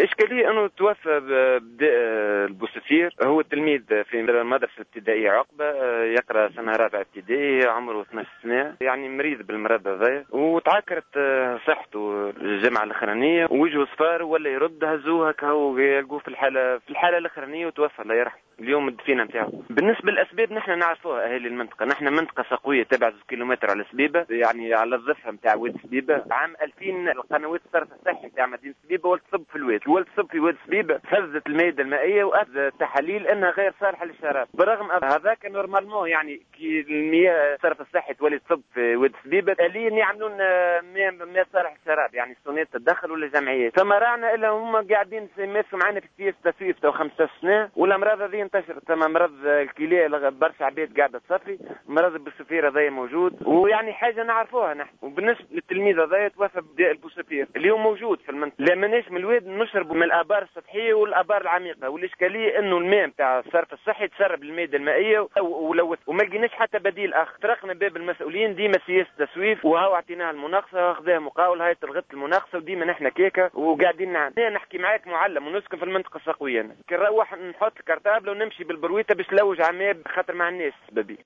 الاشكالية انه توفى بداء البوسفير، هو تلميذ في المدرسة الابتدائية عقبه، يقرا سنة رابعه ابتدائي، عمره 12 سنة، يعني مريض بالمرض هذا، وتعكرت صحته الجمعة الاخرانية ووجهه صفار ولا يرد، هزوه هكا هو يلقوه في الحاله الاخرانية وتوفى الله يرحمه. اليوم الدفينه نتاعو. بالنسبة للاسباب نحن نعرفوها اهالي المنطقه، نحن منطقة سقويه تبعد 2 كيلومتر على سبيبه، يعني على الضفة نتاع واد سبيبه. عام 2000 القنوات الصرف الصحي نتاع مدينة سبيبه ولت تصب في الواد، ولت تصب في واد سبيبه، فسدت المادة المائية واثبت التحاليل انها غير صالحه للشراب. برغم هذاك normalement يعني كي المياه الصرف الصحي تولي تصب في واد سبيبه آليا يعملون مياه صالح للشراب، يعني الصوناد تدخل ولا جمعيات، فما راعنا الا هم قاعدين يمارسوا معنا في سياسة تسويف تو 15 سنه، والامراض هذه انتشرت. ثم مرض الكلى، برشا عباد قاعدة تصفي، مرض البوسفير هذا موجود، ويعني حاجة نعرفوها نحن. وبالنسبة للتلميذ هذا توفى بداء البوسفير اليوم موجود في المنطقه. لا ماناش من الواد، نشربوا من الابار السطحية والابار العميقه، والاشكاليه انه الماء نتاع الصرف الصحي تسرب المادة المائية ولوث، وما لقيناش حتى بديل اخر. طرقنا باب المسؤولين، ديما سياسة تسويف، وهو اعطيناها المناقصه اخذها مقاول، هاي تلغت المناقصه، وديما نحن كيكة وقاعدين نعاني. نحكي معاك معلم ونسكن في المنطقة السقويه، كي نروح نحط ال cartable ونمشي بالبرويته باش نلوج على ماء خاطر ما عندناش سبابي.